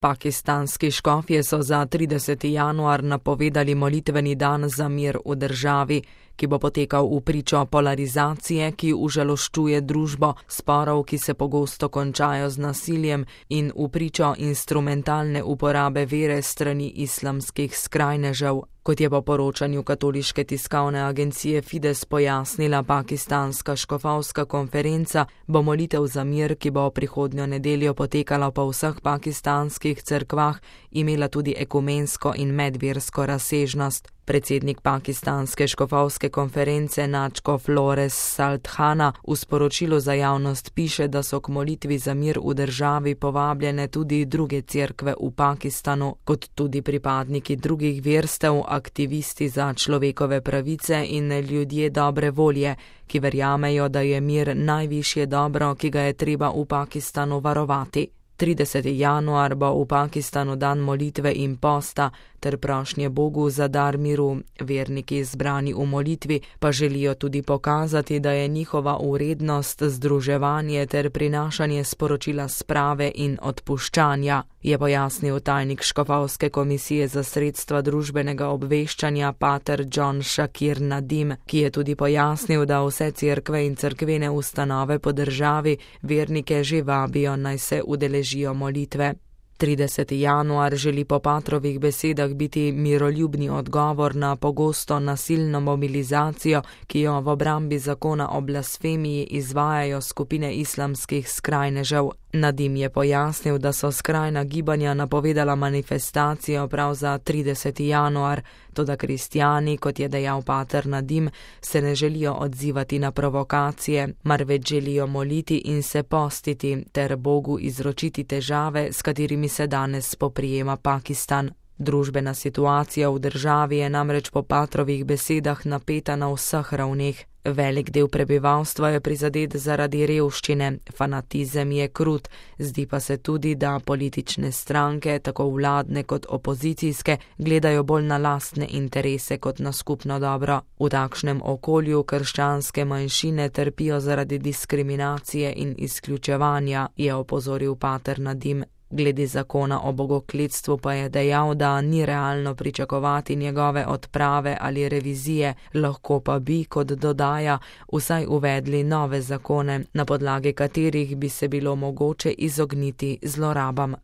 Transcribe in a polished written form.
Pakistanski škofje so za 30. januar napovedali molitveni dan za mir v državi, ki bo potekal v pričo polarizacije, ki užaloščuje družbo, sporov, ki se pogosto končajo z nasiljem, in v pričo instrumentalne uporabe vere strani islamskih skrajnežev. Kot je po poročanju katoliške tiskovne agencije Fides pojasnila pakistanska škofovska konferenca, bo molitev za mir, ki bo prihodnjo nedeljo potekala po vseh pakistanskih cerkvah, imela tudi ekumensko in medversko razsežnost. Predsednik pakistanske škofovske konference Nadžko Flores Salthana v sporočilu za javnost piše, da so k molitvi za mir v državi povabljene tudi druge cerkve v Pakistanu, kot tudi pripadniki drugih verstev, aktivisti za človekove pravice in ljudje dobre volje, ki verjamejo, da je mir najvišje dobro, ki ga je treba v Pakistanu varovati. 30. januar bo v Pakistanu dan molitve in posta ter prošnje Bogu za dar miru. Verniki zbrani v molitvi pa želijo tudi pokazati, da je njihova vrednost združevanje ter prinašanje sporočila sprave in odpuščanja, je pojasnil tajnik Škofovske komisije za sredstva družbenega obveščanja pater John Shakir Nadim, ki je tudi pojasnil, da vse cerkve in cerkvene ustanove po državi vernike že vabijo, naj se udeležijo molitve. 30. januar želi po patrovih besedah biti miroljubni odgovor na pogosto nasilno mobilizacijo, ki jo v obrambi zakona o blasfemiji izvajajo skupine islamskih skrajnežev. Nadim je pojasnil, da so skrajna gibanja napovedala manifestacijo prav za 30. januar, toda kristjani, kot je dejal pater Nadim, se ne želijo odzivati na provokacije, marveč želijo moliti in se postiti ter Bogu izročiti težave, s katerimi se danes spoprijema Pakistan. Družbena situacija v državi je namreč po patrovih besedah napeta na vseh ravneh. Velik del prebivalstva je prizadet zaradi revščine, fanatizem je krut, zdi pa se tudi, da politične stranke, tako vladne kot opozicijske, gledajo bolj na lastne interese kot na skupno dobro. V takšnem okolju krščanske manjšine trpijo zaradi diskriminacije in izključevanja, je opozoril pater Nadim. Glede zakona o bogokletstvu pa je dejal, da ni realno pričakovati njegove odprave ali revizije, lahko pa bi, kot dodaja, vsaj uvedli nove zakone, na podlagi katerih bi se bilo mogoče izogniti zlorabam.